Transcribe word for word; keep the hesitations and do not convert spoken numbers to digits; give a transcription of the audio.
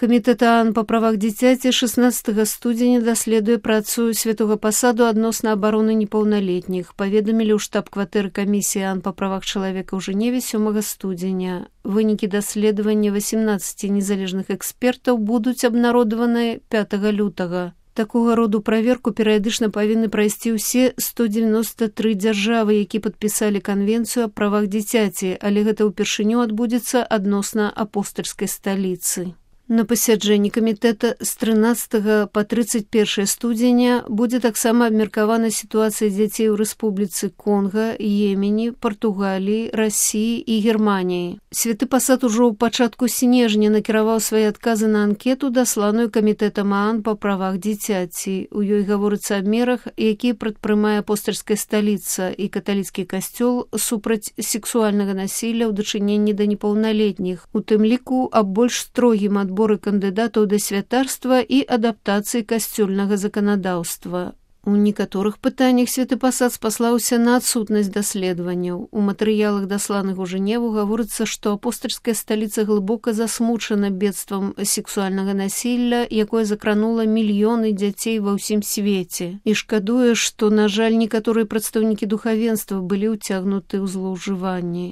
Камітэт ААН па правах дзіцяці шаснаццатага студзеня даследуе працу святога пасаду адносна абароны непаўналетніх, паведамілі ў штаб-кватэры камісіі ААН па правах чалавека ў Жэневе сёмага студзеня. Вынікі даследавання васемнаццаці незалежных экспертаў будуць абнародаваныя пятага лютага. Такога роду праверку перыядычна павінны прайсці ўсе сто дзевяноста тры дзяржавы, які падпісалі канвенцыю аб правах дзіцяці, але гэта ўпершыню адбудзецца адносна апостальскай сталіцы. На пасяджэнні камітэта з трынаццатага па трыццаць першае студзеня будзе таксама абмеркавана сітуацыя дзяцей у Рэспубліцы Конга, Йемені, Партугаліі, Расіі і Германіі. Святы пасад ужо ў пачатку снежня накіраваў свае адказы на анкету, дасланую камітэтам ААН па правах дзіцяці. У ёй гаворыцца аб мерах, якія прадпрымае апостальская сталіца і каталіцкі касцёл супраць сексуальнага насілля ў дачыненні да непаўналетніх, у тым ліку аб больш строгім адборы кандыдатаў да святарства і адаптацыі касцёльнага заканадаўства. У некаторых пытаннях святы пасад спаслаўся на адсутнасць даследаванняў. У матэрыялах, дасланых у Жэневу, гаворыцца, што апостальская сталіца глыбока засмучана бедствам сексуальнага насілля, якое закранула мільёны дзяцей ва ўсім свеце, і шкадуе, што, на жаль, некаторыя прадстаўнікі духавенства былі ўцягнуты ў злоўжыванні.